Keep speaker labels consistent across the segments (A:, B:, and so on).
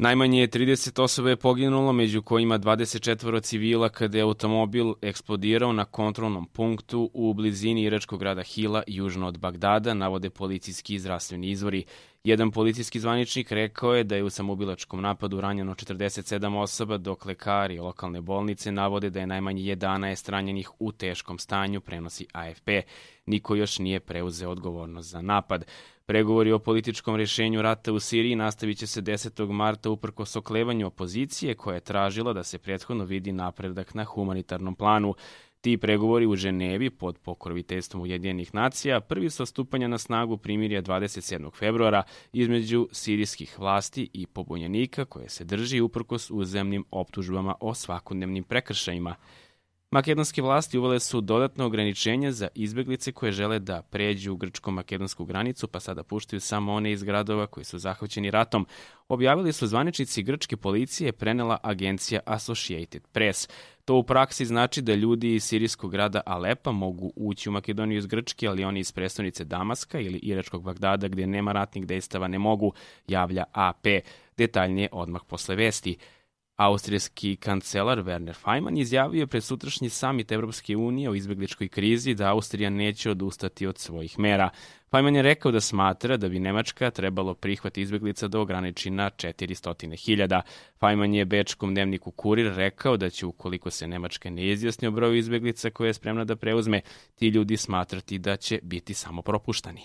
A: Najmanje 30 osoba je poginulo, među kojima 24 civila kada je automobil eksplodirao na kontrolnom punktu u blizini iračkog grada Hila, južno od Bagdada, navode policijski i zdravstveni izvori. Jedan policijski zvaničnik rekao je da je u samoubilačkom napadu ranjeno 47 osoba, dok lekari lokalne bolnice navode da je najmanje 11 ranjenih u teškom stanju, prenosi AFP. Niko još nije preuzeo odgovornost za napad. Pregovori o političkom rešenju rata u Siriji nastavit će se 10. marta uprkos oklevanju opozicije koja je tražila da se prethodno vidi napredak na humanitarnom planu. Ti pregovori u Ženevi pod pokroviteljstvom Ujedinjenih nacija prvi su stupanja na snagu primirja 27. februara između sirijskih vlasti i pobunjenika koje se drži uprkos uzajamnim optužbama o svakodnevnim prekršajima. Makedonske vlasti uvele su dodatno ograničenje za izbeglice koje žele da pređu grčko-makedonsku granicu, pa sada puštaju samo one iz gradova koji su zahvaćeni ratom. Objavili su zvaničnici grčke policije, prenela agencija Associated Press. To u praksi znači da ljudi iz sirijskog grada Alepa mogu ući u Makedoniju iz Grčke, ali oni iz prestonice Damaska ili iračkog Bagdada gdje nema ratnih dejstava ne mogu, javlja AP. Detaljnije odmah posle vesti. Austrijski kancelar Werner Faymann izjavio pred sutrašnji samit Evropske unije o izbegličkoj krizi da Austrija neće odustati od svojih mera. Faymann je rekao da smatra da bi Nemačka trebalo prihvat izbeglica da ograniči na 400.000. Faymann je bečkom dnevniku Kurir rekao da će, ukoliko se Nemačka ne izjasni o broju izbeglica koje je spremna da preuzme, ti ljudi smatrati da će biti samo propuštani.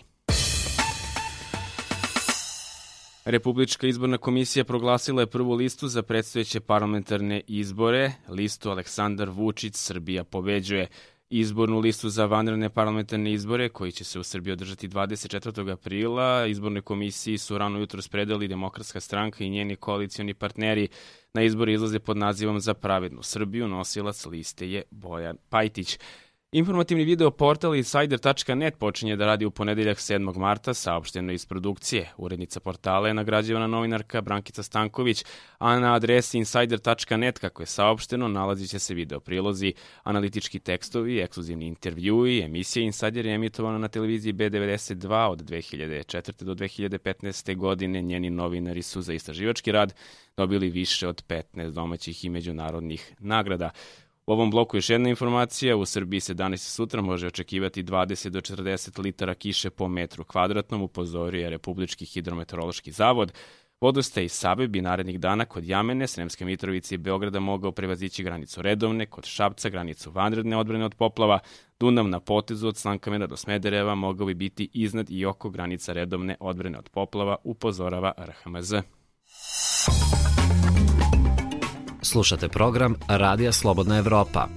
A: Republička izborna komisija proglasila je prvu listu za predstojeće parlamentarne izbore, listu Aleksandar Vučić Srbija pobeđuje. Izbornu listu za vanredne parlamentarne izbore, koji će se u Srbiji održati 24. aprila, izbornoj komisiji su rano jutros predali Demokratska stranka i njeni koalicioni partneri. Na izbore izlaze pod nazivom Za pravednu Srbiju, nosilac liste je Bojan Pajtić. Informativni video portal Insider.net počinje da radi u ponedeljak 7. marta, saopšteno iz produkcije. Urednica portala je nagrađivana novinarka Brankica Stanković, a na adresi Insider.net, kako je saopšteno, nalazit će se video prilozi, analitički tekstovi, ekskluzivni intervjui. Emisija Insider je emitovana na televiziji B92 od 2004. do 2015. godine. Njeni novinari su za istraživački rad dobili više od 15 domaćih i međunarodnih nagrada. U ovom bloku još jedna informacija. U Srbiji se danas i sutra može očekivati 20 do 40 litara kiše po metru kvadratnom, upozorio je Republički hidrometeorološki zavod. Vodostaj iz Save bi narednih dana kod Jamene, Sremske Mitrovice i Beograda mogao prevazići granicu redovne, kod Šapca granicu vanredne odbrane od poplava, Dunav na potezu od Slankamena do Smedereva mogao bi biti iznad i oko granica redovne odbrane od poplava, upozorava RHMZ.
B: Slušate program Radija Slobodna Evropa.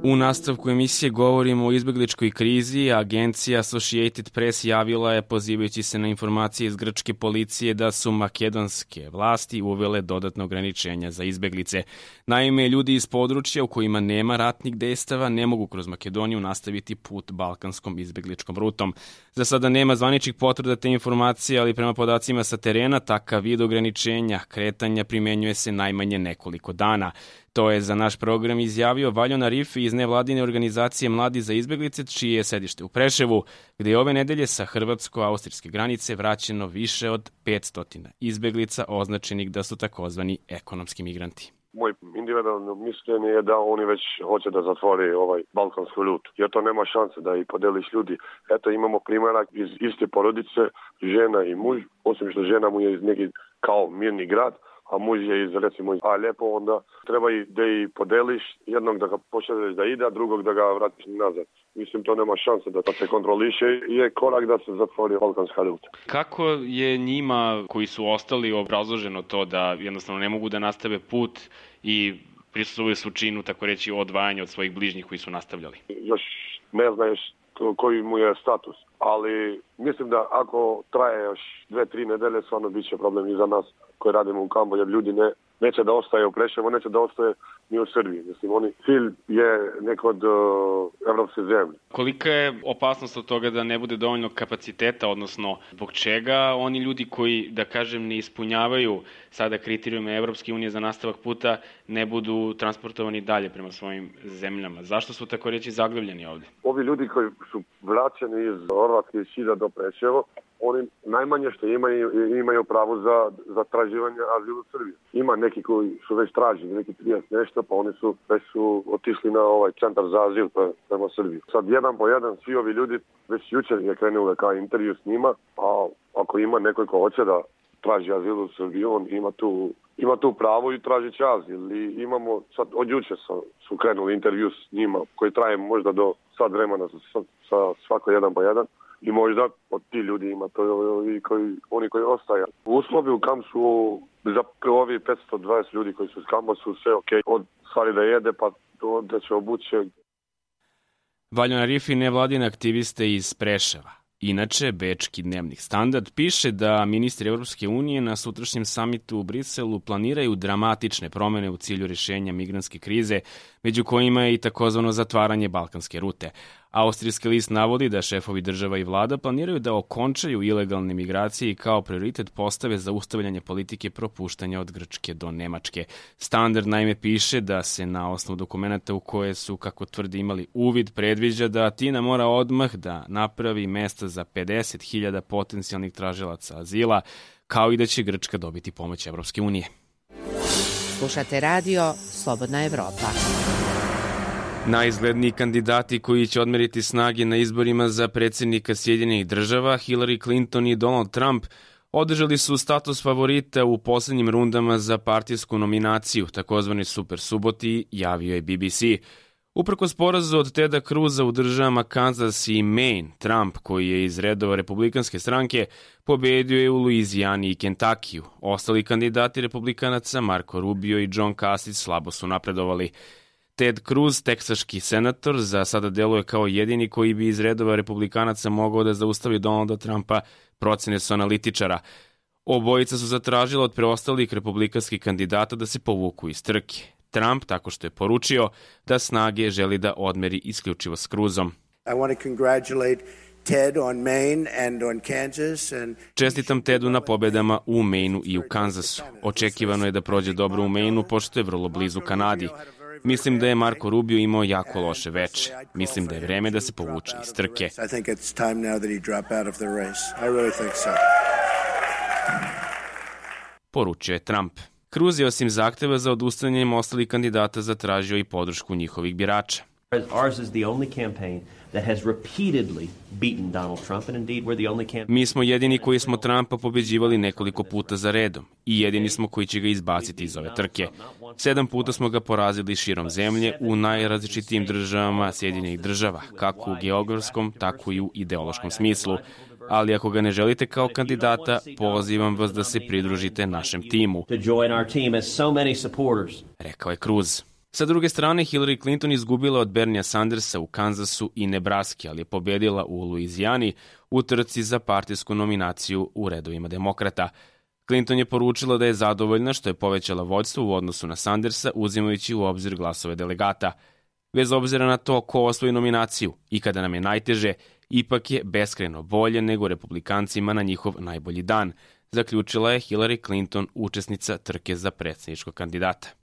A: U nastavku emisije govorimo o izbegličkoj krizi. Agencija Associated Press javila je, pozivajući se na informacije iz grčke policije, da su makedonske vlasti uvele dodatno ograničenja za izbeglice. Naime, ljudi iz područja u kojima nema ratnih dejstava ne mogu kroz Makedoniju nastaviti put balkanskom izbegličkom rutom. Za sada nema zvaničnih potvrda te informacije, ali prema podacima sa terena, takav vid ograničenja kretanja primenjuje se najmanje nekoliko dana. To je za naš program izjavio Valjon Arifi iz nevladine organizacije Mladi za izbeglice, čije je sedište u Preševu, gde je ove nedelje sa hrvatsko-austrijske granice vraćeno više od 500 izbeglica označenih da su takozvani ekonomski migranti.
C: Moj individualno mišljenje je da oni već hoće da zatvore ovaj balkansku rutu, jer to nema šanse da i podeliš ljudi. Eto, imamo primjerak iz iste porodice, žena i muž, osim što žena mu je iz neki kao mirni grad, a muž je iz, recimo, iz Alepo, onda treba i da i podeliš, jednog da ga pošalješ da ide, a drugog da ga vratiš nazad. Mislim, to nema šanse da se kontroliše i je korak da se zatvori balkanska ruta.
A: Kako je njima koji su ostali obrazloženo to da jednostavno ne mogu da nastave put i prisustvuju su činu, tako reći, odvajanja od svojih bližnjih koji su nastavljali?
C: Još ne znaš koji mu je status, ali mislim da ako traje još 2-3 nedelje, stvarno bit će problem i za nas koji radimo u kampu, jer ljudi neće da ostaje u Preševu, neće da ostaje ni u Srbiji. Mislim, cilj je neko od evropske zemlje.
A: Kolika je opasnost od toga da ne bude dovoljno kapaciteta, odnosno zbog čega oni ljudi koji, da kažem, ne ispunjavaju sada kriterijume Evropske unije za nastavak puta, ne budu transportovani dalje prema svojim zemljama? Zašto su tako reći zaglavljeni ovdje?
C: Ovi ljudi koji su vraćeni iz Horvatske i Šida do Preševa, oni najmanje što imaju pravo za traživanje azila u Srbiji. Ima neki koji su već tražili, neki 30 nešto, pa oni već su otišli na ovaj centar za azil prema Srbiji. Sad jedan po jedan svi ovi ljudi već jučer je krenuo kao intervju s njima, a ako ima neko ko hoće da traži azil u Srbiji, on ima tu pravo i traži će azil. I imamo, sad od jučer su krenuli intervju s njima koji traje možda do sad vremena sa svako jedan po jedan. I možda od ti ljudi ima to oni koji ostaje. Uslovi u kampu za ovi 520 ljudi koji su s kampa su sve ok. Od stvari da jede pa da će obuće.
A: Valjan Arifi, nevladine aktiviste iz Preševa. Inače, bečki dnevnik Standard piše da ministri Evropske unije na sutrašnjem samitu u Briselu planiraju dramatične promene u cilju rješenja migrantske krize, među kojima je i takozvano zatvaranje balkanske rute. Austrijski list navodi da šefovi država i vlada planiraju da okončaju ilegalne migracije i kao prioritet postave zaustavljanje politike propuštanja od Grčke do Nemačke. Standard naime piše da se na osnovu dokumenta u koje su, kako tvrdi, imali uvid, predviđa da Atina mora odmah da napravi mesta za 50.000 potencijalnih tražilaca azila, kao i da će Grčka dobiti pomoć Evropske unije.
D: Slušate radio Slobodna Evropa.
A: Najizgledniji kandidati koji će odmeriti snage na izborima za predsjednika Sjedinjenih država, Hillary Clinton i Donald Trump, održali su status favorita u posljednjim rundama za partijsku nominaciju, takozvani super suboti, javio je BBC. Uprkos porazu od Teda Cruza u državama Kansas i Maine, Trump, koji je iz redova republikanske stranke, pobedio je u Luizijani i Kentakiju. Ostali kandidati republikanaca, Marco Rubio i John Kasich, slabo su napredovali. Ted Cruz, teksaški senator, za sada deluje kao jedini koji bi iz redova republikanaca mogao da zaustavi Donalda Trumpa, procene su analitičara. Obojica su zatražila od preostalih republikanskih kandidata da se povuku iz trke. Trump tako što je poručio da snage želi da odmeri isključivo s Cruzom. Čestitam Tedu na pobedama u Mainu i u Kansasu. Očekivano je da prođe dobro u Mainu, pošto je vrlo blizu Kanadi. Mislim da je Marco Rubio imao jako loše veče. Mislim da je vreme da se povuče iz trke. Poručio je Trump. Cruz je osim zahteva za odustanjem ostalih kandidata zatražio i podršku njihovih birača. Mi smo jedini koji smo Trumpa pobeđivali nekoliko puta za redom i jedini smo koji će ga izbaciti iz ove trke. 7 puta smo ga porazili širom zemlje u najrazličitijim državama Sjedinjenih država, kako u geografskom, tako i u ideološkom smislu. Ali ako ga ne želite kao kandidata, pozivam vas da se pridružite našem timu, rekao je Cruz. Sa druge strane, Hillary Clinton izgubila od Bernia Sandersa u Kansasu i Nebraski, ali je pobedila u Luizijani u trci za partijsku nominaciju u redovima demokrata. Clinton je poručila da je zadovoljna što je povećala vođstvo u odnosu na Sandersa, uzimajući u obzir glasove delegata. Bez obzira na to ko osvoji nominaciju i kada nam je najteže, ipak je beskrajno bolje nego republikancima na njihov najbolji dan, zaključila je Hillary Clinton, učesnica trke za predsjedničkog kandidata.